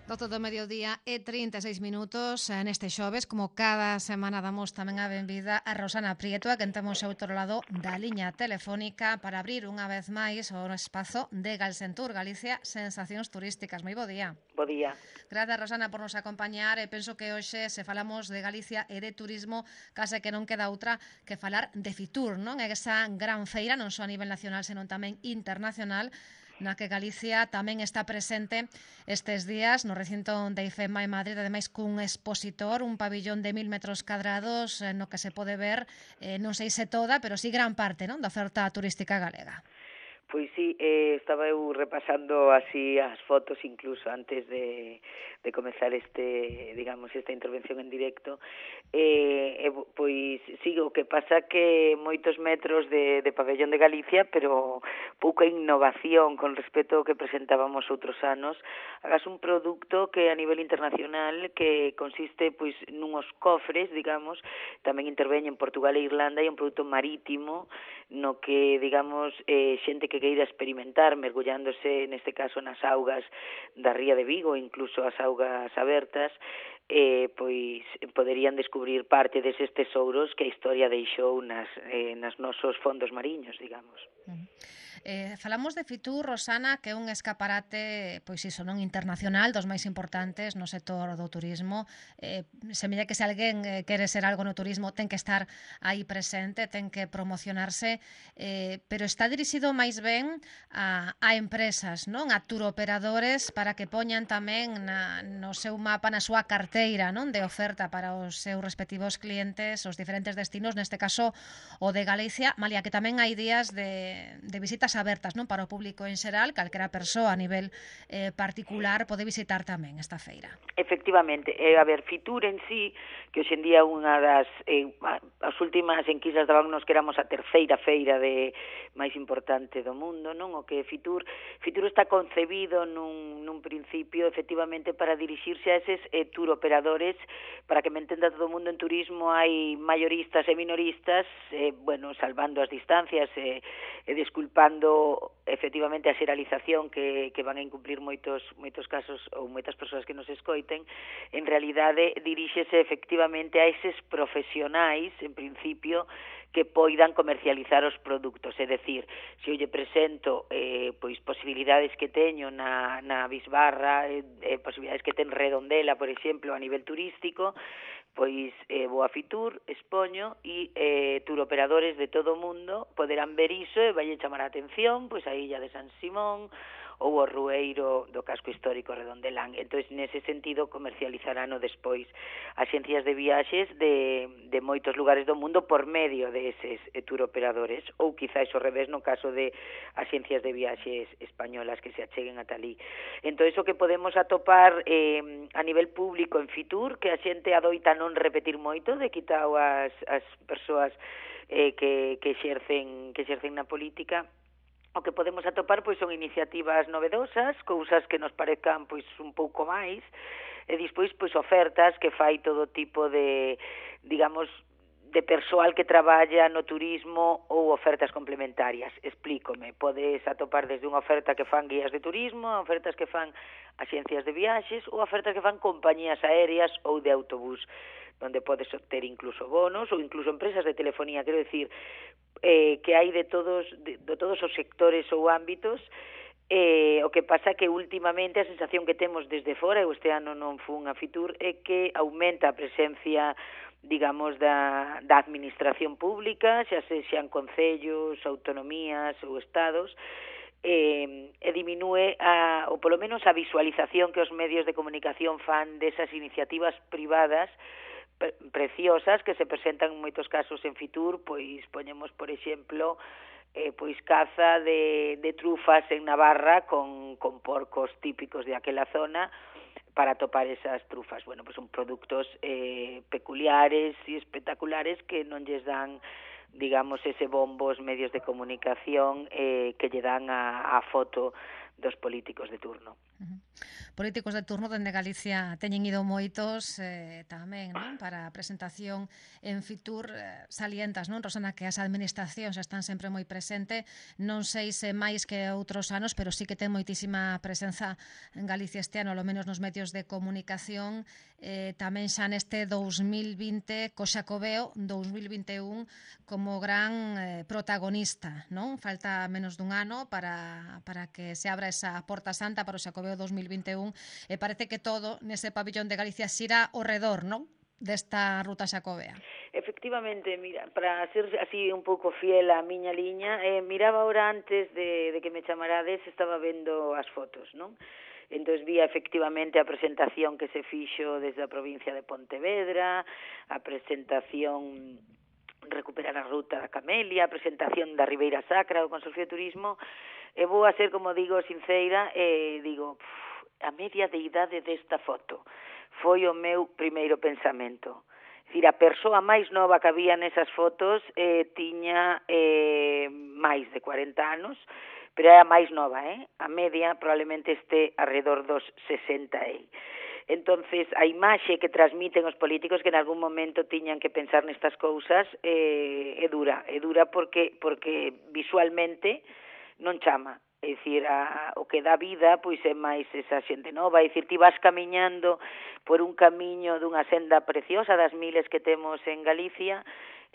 Doce do mediodía e 36 minutos neste xoves, como cada semana damos tamén a benvida a Rosana Prieto, a quen temos ao outro lado da liña telefónica para abrir unha vez máis o espazo de Galsentur, Galicia, sensacións turísticas. Moi bo día. Bo día. Grazas, Rosana, por nos acompañar e penso que hoxe se falamos de Galicia e de turismo case que non queda outra que falar de Fitur, non? É esa gran feira, non só a nivel nacional, senón tamén internacional, na que Galicia tamén está presente estes días no recinto de IFEMA en Madrid, ademais cun expositor, un pabillón de 1000 metros cadrados no que se pode ver, non sei se toda, pero sí gran parte, non, da oferta turística galega. Pois sí, estaba eu repasando así as fotos incluso antes de comezar esta intervención en directo. Pois sí, o que pasa que moitos metros de pabellón de Galicia, pero pouca innovación con respecto ao que presentábamos outros anos. Hagas un produto que a nivel internacional que consiste pois nunhos cofres, digamos, tamén interveñe en Portugal e Irlanda, e un produto marítimo no que, digamos, xente que queira experimentar mergullándose, neste caso, nas augas da ría de Vigo, incluso as augas abertas, pois poderían descubrir parte deses tesouros que a historia deixou nas nosos fondos mariños, digamos. Falamos de Fitur, Rosana, que é un escaparate, pois iso, non, internacional, dos máis importantes no sector do turismo. Semella que se alguén quere ser algo no turismo ten que estar aí presente, ten que promocionarse, pero está dirixido máis ben a empresas, non, a turoperadores, para que poñan tamén no seu mapa, na súa carteira, non, de oferta para os seus respectivos clientes, os diferentes destinos, neste caso o de Galicia, malia que tamén hai días de visitas abertas, non, para o público en xeral, calquera persoa a nivel particular pode visitar tamén esta feira. Efectivamente, a ver, Fitur en sí, que hoxe en día unha das as últimas enquisas dabannos que éramos a terceira feira máis importante do mundo, non? O que Fitur está concebido nun principio efectivamente para dirixirse a eses tour operadores, para que me entenda todo o mundo. En turismo hai mayoristas e minoristas, bueno, salvando as distancias e desculpando efectivamente a xeralización que van a incumplir moitos casos ou moitas persoas que nos escoiten. En realidade diríxese efectivamente a eses profesionais, en principio, que poidan comercializar os produtos, é dicir, se eu lle presento pois posibilidades que teño na Bisbarra, posibilidades que ten Redondela, por exemplo, a nivel turístico, pois vou a Fitur, expoño e turoperadores de todo o mundo poderán ver iso e vai chamar a atención pois a Illa de San Simón ou o Rueiro do casco histórico Redondelán. Entón, nese sentido, comercializarán despois axencias de viaxes de moitos lugares do mundo por medio deses turoperadores, ou quizáis ao revés no caso de axencias de viaxes españolas que se acheguen ata ali. Entón, iso que podemos atopar a nivel público en Fitur, que a xente adoita non repetir moito, de quitao as persoas que exercen na política. O que podemos atopar pois son iniciativas novedosas, cousas que nos parezcan pois un pouco máis, e despois pois ofertas que fai todo tipo de, digamos, de persoal que traballa no turismo ou ofertas complementarias. Explícome, podes atopar desde unha oferta que fan guías de turismo, ofertas que fan axencias de viaxes ou ofertas que fan compañías aéreas ou de autobús, donde podes obter incluso bonos ou incluso empresas de telefonía, quero decir, que hai de todos os sectores ou ámbitos. O que pasa que últimamente a sensación que temos desde fora, eu este ano non fun a Fitur, é que aumenta a presencia, digamos, da administración pública, xa sexan concellos, autonomías ou estados, e diminúe ou polo menos a visualización que os medios de comunicación fan desas iniciativas privadas preciosas que se presentan en moitos casos en Fitur. Pois poñemos, por exemplo, pois caza de trufas en Navarra con porcos típicos de aquela zona para topar esas trufas. Bueno, pois son produtos peculiares e espectaculares que non lles dan, digamos, ese bombo os medios de comunicación que lle dan a foto dos políticos de turno. Políticos de turno dende Galicia teñen ido moitos tamén, non? Para a presentación en Fitur salientas, non, Rosana, que as administracións están sempre moi presente, non sei se máis que outros anos, pero sí que ten moitísima presenza en Galicia este ano, ao menos nos medios de comunicación, tamén xa neste 2020 co Xacobeo 2021 como gran protagonista, non? Falta menos dun ano para que se abra esa porta santa para o Xacobeo 2021 e parece que todo nese pabillón de Galicia xira ao redor, non? Desta ruta xacobea. Efectivamente, mira, para ser así un pouco fiel á miña liña, miraba ahora antes de que me chamarades, estaba vendo as fotos, non? Entón vía efectivamente a presentación que se fixo desde a provincia de Pontevedra, a presentación recuperar a ruta da Camelia, a presentación da Ribeira Sacra do Consorcio de Turismo, e vou a ser, como digo, sinceira, digo, a media de idade desta foto foi o meu primeiro pensamento. É dicir, a persoa máis nova que había nesas fotos tiña máis de 40 anos, pero é a máis nova, A media probablemente este alrededor dos 60 Entonces, a imaxe que transmiten os políticos que en algún momento tiñan que pensar nestas cousas é dura porque visualmente non chama. É dicir, o que dá vida pois é máis esa xente nova, é dicir, ti vas camiñando por un camiño dunha senda preciosa das miles que temos en Galicia,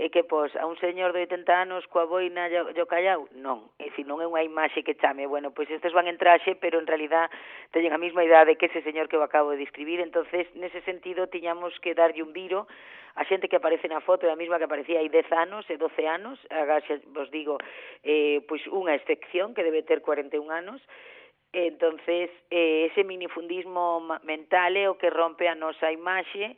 e que pos a un señor de 80 anos coa boina e o callau, non, é dicir, non é unha imaxe que chame, bueno, pois estes van en traxe, pero en realidad teñen a mesma idade que ese señor que eu acabo de describir, entonces nese sentido tiñamos que darlle un viro a xente que aparece na foto é a mesma que aparecía hai 10 anos e 12 anos, agora vos digo, pois unha excepción que debe ter 41 anos, entonces ese minifundismo mental é o que rompe a nosa imaxe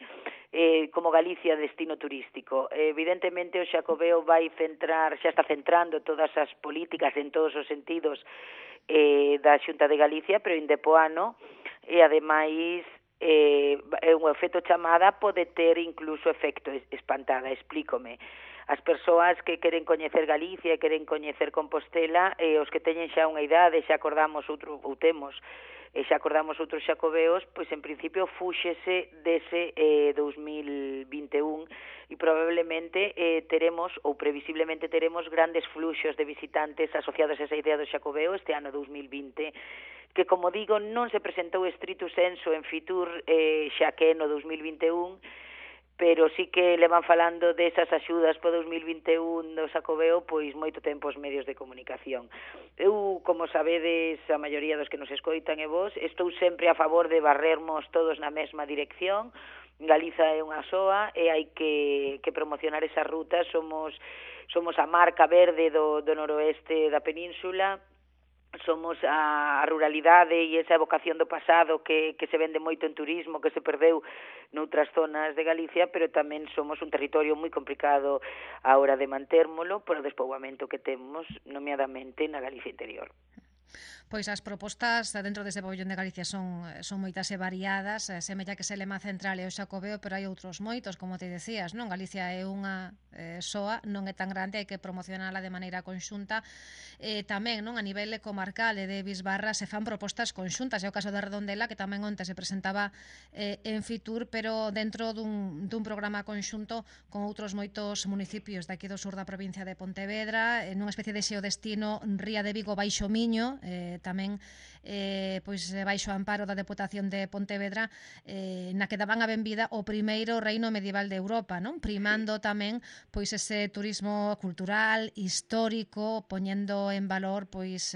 como Galicia destino turístico. Evidentemente o Xacobeo vai centrar, xa está centrando todas as políticas en todos os sentidos da Xunta de Galicia, pero indepoano, e ademais un efecto chamada pode ter incluso efecto espantada, explícome. As persoas que queren coñecer Galicia e queren coñecer Compostela, os que teñen xa unha idade, xa acordamos outros xacobeos, pois en principio fúxese dese 2021 e probablemente teremos, ou previsiblemente teremos, grandes fluxos de visitantes asociados a esa idea do xacobeo este ano 2020, que, como digo, non se presentou estrito senso en Fitur xa que no 2021, pero sí que le van falando desas axudas para 2021 do Xacobeo pois moito tempo os medios de comunicación. Eu, como sabedes, a maioría dos que nos escoitan e vos, estou sempre a favor de barrermos todos na mesma dirección. Galiza é unha soa e hai que promocionar esa ruta. Somos a marca verde do noroeste da península, somos a ruralidade e esa evocación do pasado que se vende moito en turismo, que se perdeu noutras zonas de Galicia, pero tamén somos un territorio moi complicado a hora de mantérmolo por o despoboamento que temos, nomeadamente na Galicia interior. Pois as propostas dentro deste pabellón de Galicia son moitas e variadas, semella que se lema central é o Xacobeo, pero hai outros moitos, como te decías, non? Galicia é unha soa, non é tan grande, hai que promocionala de maneira conxunta. Tamén, non, a nivel comarcal e de Bisbarra se fan propostas conxuntas, é o caso de Redondela, que tamén onte se presentaba en Fitur, pero dentro dun programa conxunto con outros moitos municipios daqui do sur da provincia de Pontevedra, nunha especie de xeodestino Ría de Vigo Baixo Miño, tamén pois baixo amparo da Deputación de Pontevedra, na que daban a benvida o primeiro reino medieval de Europa, non? Primando tamén pois ese turismo cultural, histórico, poñendo en valor pois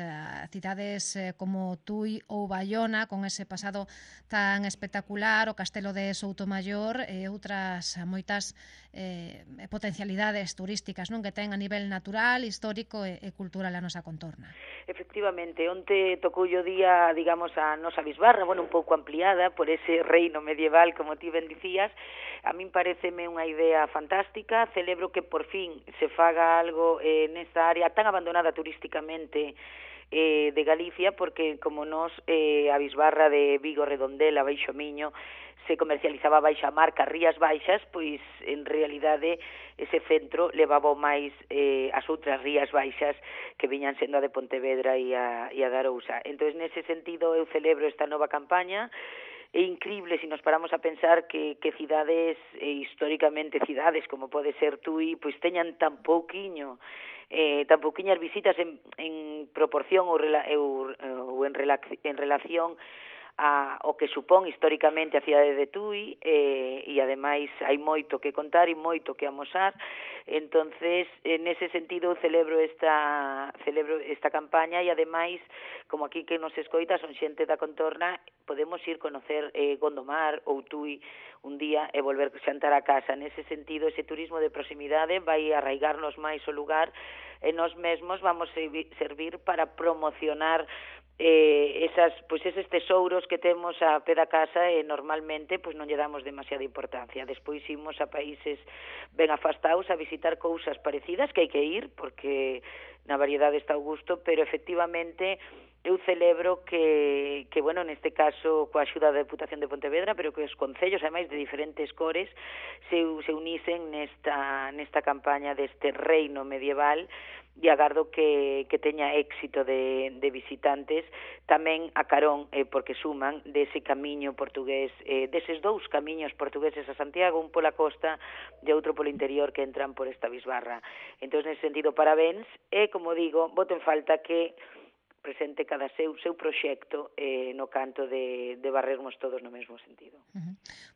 cidades como Tui ou Baiona, con ese pasado tan espectacular, o Castelo de Soutomaior e outras moitas potencialidades turísticas, non, que ten a nivel natural, histórico e cultural a nosa contorna. Efectivamente, onte tocou o día, digamos, a nosa Bisbarra, bueno, un pouco ampliada por ese reino medieval, como ti ben dicías. A min pareceme unha idea fantástica, celebro que por fin se faga algo nesta área tan abandonada turísticamente de Galicia, porque como nos a bisbarra de Vigo, Redondela, Baixo Miño se comercializaba baixa marca Rías Baixas, pois en realidade ese centro levaba máis as outras Rías Baixas que viñan sendo a de Pontevedra e a de Arousa. Entón, nese sentido, eu celebro esta nova campaña. É incrible se nos paramos a pensar que cidades, históricamente cidades como pode ser Tui, pois teñan tan pouquiñas visitas en proporción ou en relación o que supón históricamente a cidade de Tui, e ademais hai moito que contar e moito que amosar. Entonces, nese sentido, celebro esta campaña, e ademais, como aquí que nos escoita son xente da contorna, podemos ir conocer Gondomar ou Tui un día e volver xantar a casa. Nese sentido, ese turismo de proximidade vai arraigarnos máis o lugar, e nós mesmos vamos servir para promocionar eses tesouros que temos a pé da casa, e normalmente pois non lle damos demasiada importancia. Despois imos a países ben afastados a visitar cousas parecidas, que hai que ir porque na variedade está o gusto, pero efectivamente eu celebro que bueno, neste caso coa axuda da Deputación de Pontevedra, pero que os concellos, ademais de diferentes cores, se unisen nesta campaña deste reino medieval, e agardo que teña éxito de visitantes, tamén a carón, porque suman dese camiño portugués, deses dous camiños portugueses a Santiago, un pola costa e outro polo interior, que entran por esta bisbarra. Entón, nesse sentido, parabéns, e, como digo, boto en falta que presente cada seu proxecto no canto de barrermos todos no mesmo sentido.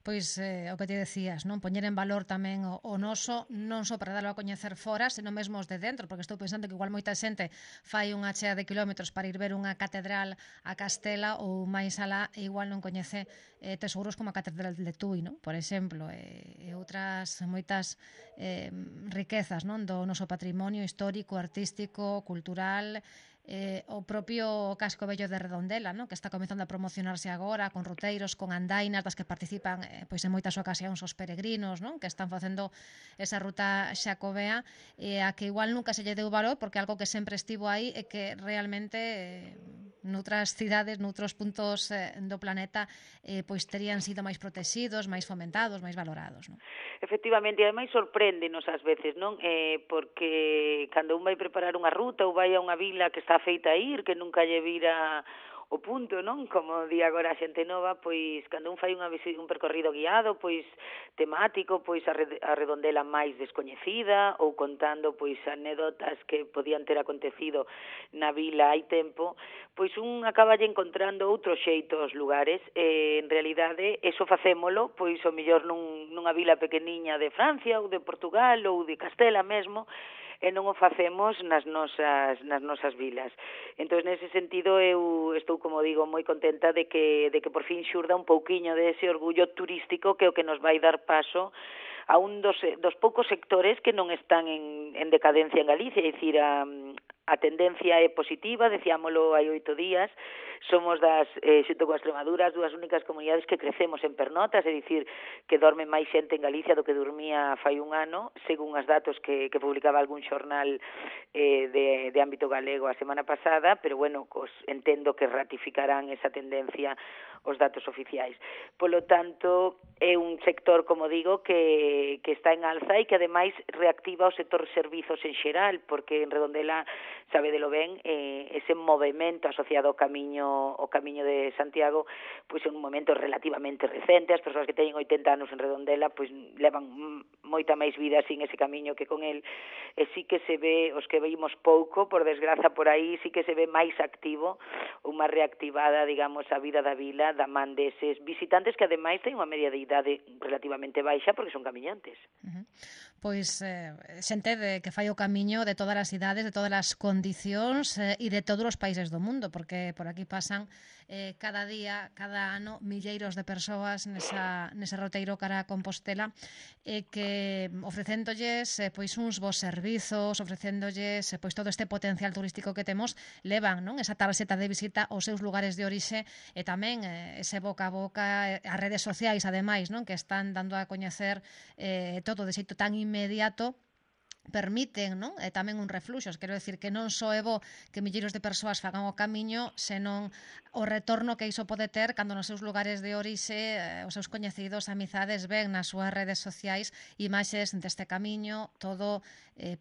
Pois o que te decías, non, poñer en valor tamén o noso, non só para darlo a coñecer fora, senón mesmo os de dentro, porque estou pensando que igual moita xente fai unha chea de kilómetros para ir ver unha catedral a Castela, ou máis alá, e igual non coñece tesouros como a Catedral de Tui, non? Por exemplo, e outras moitas riquezas, non, do noso patrimonio histórico, artístico, cultural, o propio Casco Vello de Redondela, non? Que está comezando a promocionarse agora con ruteiros, con andainas das que participan pois en moitas ocasións os peregrinos, non? Que están facendo esa ruta xacobea, a que igual nunca se lle deu valor, porque algo que sempre estivo aí e que realmente noutras cidades, noutros puntos do planeta pois terían sido máis protegidos, máis fomentados, máis valorados, non? Efectivamente, e ademais sorpréndenos ás veces, non? Porque cando un vai preparar unha ruta ou vai a unha vila que está feita a ir, que nunca lle vira o punto, non? Como di agora a xente nova, pois cando un fai un percorrido guiado, pois temático, pois a Redondela máis descoñecida, ou contando pois anécdotas que podían ter acontecido na vila hai tempo, pois un acaba lle encontrando outro xeito aos lugares, e en realidade eso facémolo pois o mellor nunha vila pequeniña de Francia ou de Portugal ou de Castela mesmo, e non o facemos nas nosas vilas. Entón, nese sentido, eu estou, como digo, moi contenta de que por fin xurda un pouquiño dese orgullo turístico, que é o que nos vai dar paso a un dos poucos sectores que non están en decadencia en Galicia, é dicir, a tendencia é positiva, decíamolo hai 8 días, somos xunto coa Extremadura, as dúas únicas comunidades que crecemos en pernotas, é dicir, que dorme máis xente en Galicia do que dormía fai un ano, según os datos que publicaba algún xornal de ámbito galego a semana pasada, pero bueno, entendo que ratificarán esa tendencia os datos oficiais. Polo tanto, é un sector, como digo, que está en alza e que ademais reactiva o sector servizos en xeral, porque en Redondela, sabedelo ben, ese movimento asociado ao camiño de Santiago, pois é un momento relativamente recente. As persoas que teñen 80 anos en Redondela pois levan moita máis vida sin ese camiño que con el, e sí que se ve, os que veimos pouco, por desgraza por aí, sí que se ve máis activo, unha reactivada, digamos, a vida da vila, da man deses visitantes que ademais ten unha media de idade relativamente baixa porque son camiñantes. Pois xente que fai o camiño de todas as idades, de todas as condicións e de todos os países do mundo, porque por aquí pasan cada día, cada ano, milleiros de persoas nese roteiro cara a Compostela, que ofrecéndolles pois uns bons servizos, ofrecéndolles pois todo este potencial turístico que temos, levan, non, esa tarxeta de visita aos seus lugares de orixe, e tamén ese boca a boca, as redes sociais ademais, non, que están dando a coñecer todo de xeito tan inmediato, permiten, non? E tamén un refluxos, quero decir que non só é bo que milleiros de persoas fagan o camiño, senón o retorno que iso pode ter cando nos seus lugares de orixe os seus coñecidos, amizades ven nas súas redes sociais imaxes deste camiño, todo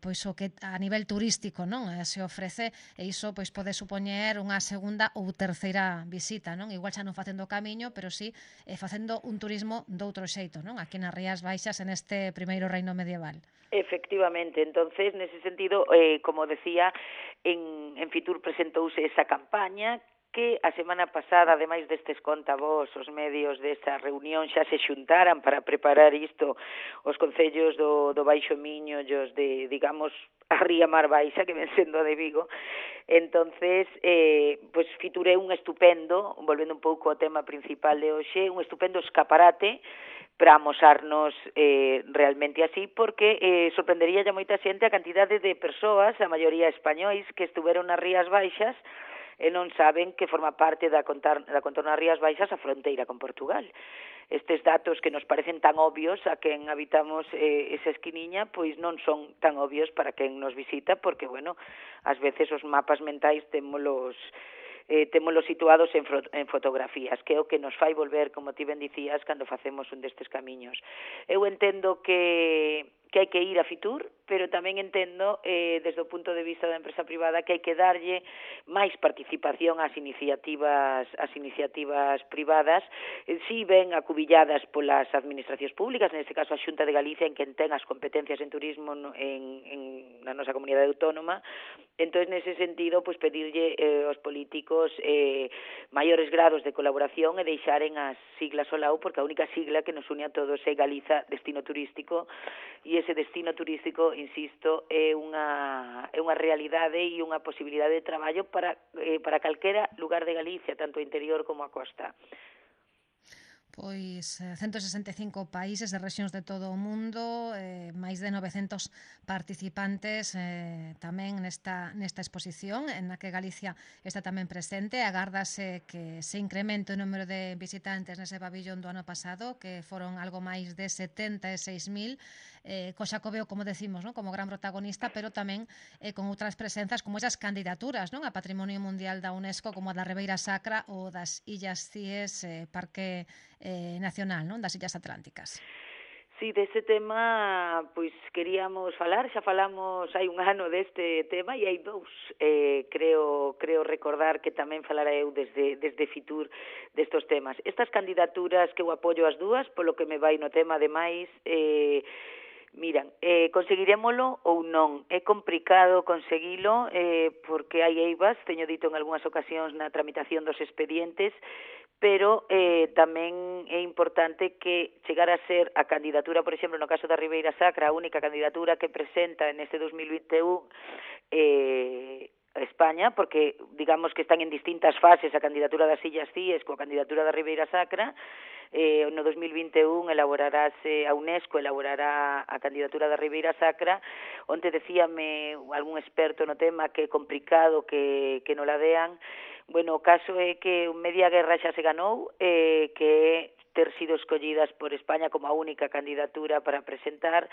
pois o que a nivel turístico, non? Se ofrece, e iso pois pode supoñer unha segunda ou terceira visita, non? Igual xa non facendo o camiño, pero sí facendo un turismo doutro xeito, non? Aquí nas Rías Baixas en este primeiro reino medieval. Efectivamente, entonces, nese sentido, como decía, en Fitur presentouse esa campaña que a semana pasada, ademais destes contavós, os medios desa reunión xa se xuntaran para preparar isto os concellos do Baixo Miño e os de, digamos, a Ría Mar Baixa, que ven sendo a de Vigo. Entonces, pues Fitur é un estupendo, volvendo un pouco ao tema principal de hoxe, un estupendo escaparate para amosarnos realmente así, porque sorprendería a moita xente a cantidade de persoas, a maioría españois, que estuveron nas Rías Baixas e non saben que forma parte da contorna das Rías Baixas a fronteira con Portugal. Estes datos que nos parecen tan obvios a quen habitamos esa esquiniña, pois non son tan obvios para quen nos visita, porque, bueno, ás veces os mapas mentais témolos situados en fotografías, que é o que nos fai volver, como ti ben dicías, cando facemos un destes camiños. Eu entendo que hai que ir a Fitur, pero tamén entendo, desde o punto de vista da empresa privada, que hai que darlle máis participación ás iniciativas privadas, si ben acubilladas polas administracións públicas, neste caso a Xunta de Galicia, en quen ten as competencias en turismo na nosa comunidade autónoma. Entón, nese sentido, pues, pedirlle aos políticos maiores grados de colaboración e deixaren as siglas ao lado, porque a única sigla que nos une a todos é Galiza Destino Turístico, e ese destino turístico, insisto, é unha realidade e unha posibilidade de traballo para calquera lugar de Galicia, tanto o interior como a costa. Pois 165 países e rexións de todo o mundo, máis de 900 participantes tamén nesta exposición, en na que Galicia está tamén presente. Agárdase que se incremente o número de visitantes nese pabillón do ano pasado, que foron algo máis de 76.000, co Xacobeo, como decimos, non? Como gran protagonista, pero tamén con outras presenzas como esas candidaturas, non? A Patrimonio Mundial da UNESCO, como a da Ribeira Sacra ou das Illas Cíes, Parque Nacional, non? Das Illas Atlánticas. Sí, dese tema, pois queríamos falar, xa falamos hai un ano deste tema e hai dous, creo recordar que tamén falara eu desde Fitur destos temas. Estas candidaturas que eu apoio as dúas, polo que me vai no tema, ademais, miran, conseguirémolo ou non? É complicado conseguilo porque hai eivas, teño dito en algunhas ocasións na tramitación dos expedientes, pero tamén é importante que chegar a ser a candidatura, por exemplo, no caso da Ribeira Sacra, a única candidatura que presenta neste 2021 España, porque digamos que están en distintas fases a candidatura das Illas Cíes coa candidatura da Ribeira Sacra. No 2021 a UNESCO elaborará a candidatura da Ribeira Sacra, onde decíame algún experto no tema que é complicado que non la dean. Bueno, o caso é que media guerra xa se ganou, que é ter sido escollidas por España como a única candidatura para presentar.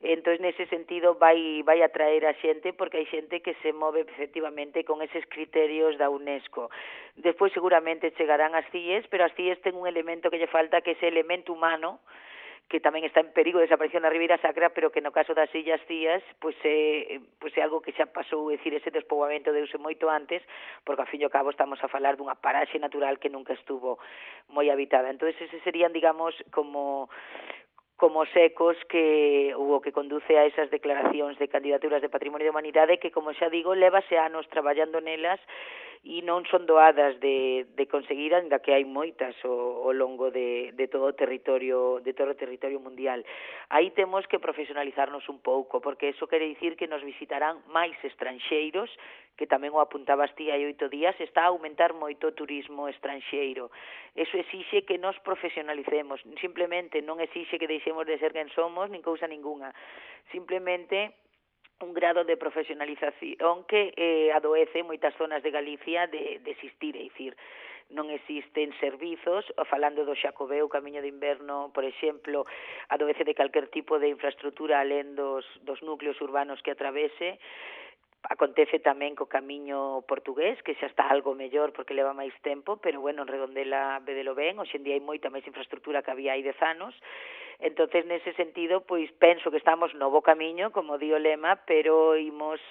Entón, nese sentido, vai atraer a xente, porque hai xente que se move efectivamente con eses criterios da UNESCO. Despois, seguramente, chegarán as CIES, pero as CIES ten un elemento que lle falta, que é ese elemento humano, que tamén está en perigo de desaparición na Ribeira Sacra, pero que no caso das Illas Cíes pois é algo que xa pasou, é dicir, ese despoboamento deuse moito antes, porque ao fin e ao cabo estamos a falar dunha paraxe natural que nunca estuvo moi habitada. Entón, ese serían, digamos, como os ecos que o que conduce a esas declaracións de candidaturas de Patrimonio da Humanidade, que, como xa digo, levase anos traballando nelas e non son doadas de conseguir, ainda que hai moitas ao longo de todo o territorio mundial. Aí temos que profesionalizarnos un pouco, porque eso quere dicir que nos visitarán máis estranxeiros, que tamén o apuntabas ti hai 8 días, está a aumentar moito o turismo estranxeiro. Eso exixe que nos profesionalicemos, simplemente non exixe que deixemos de ser quen somos, nin cousa ninguna. Simplemente un grado de profesionalización que adoece moitas zonas de Galicia de existir, é dicir, non existen servizos, falando do Xacobeo, o Camiño de Inverno, por exemplo, adovece de calquer tipo de infraestructura alén dos núcleos urbanos que atravese. Acontece tamén co camiño portugués, que xa está algo mellor porque leva máis tempo, pero bueno, en Redondela vedelo ben, hoxe en día hai moita máis infraestructura que había hai 10 anos. Entonces, nese sentido, pois penso que estamos no bo camiño, como di o lema, pero imos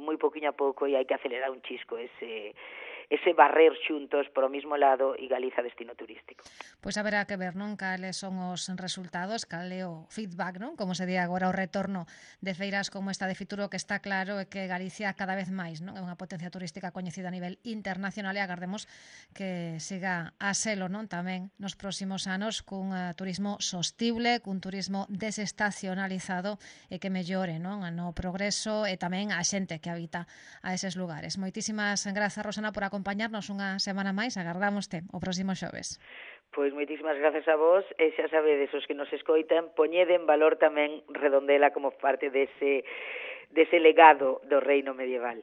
moi pouquiño a pouco e hai que acelerar un chisco ese barrer xuntos por o mismo lado e Galiza destino turístico. Pois haberá que ver, non, cales son os resultados, cal é o feedback, non, como se di agora, o retorno de feiras como esta de Fituro, que está claro é que Galicia cada vez máis, non, é unha potencia turística coñecida a nivel internacional e agardemos que siga a selo, non, tamén nos próximos anos cun turismo sostible, cun turismo desestacionalizado e que mellore, non, no progreso e tamén a xente que habita a eses lugares. Moitísimas grazas, Rosana, por acompañarnos unha semana máis. Agardámoste o próximo xoves. Pois moitísimas gracias a vos e xa sabedes os que nos escoitan, poñede en valor tamén Redondela como parte dese legado do reino medieval.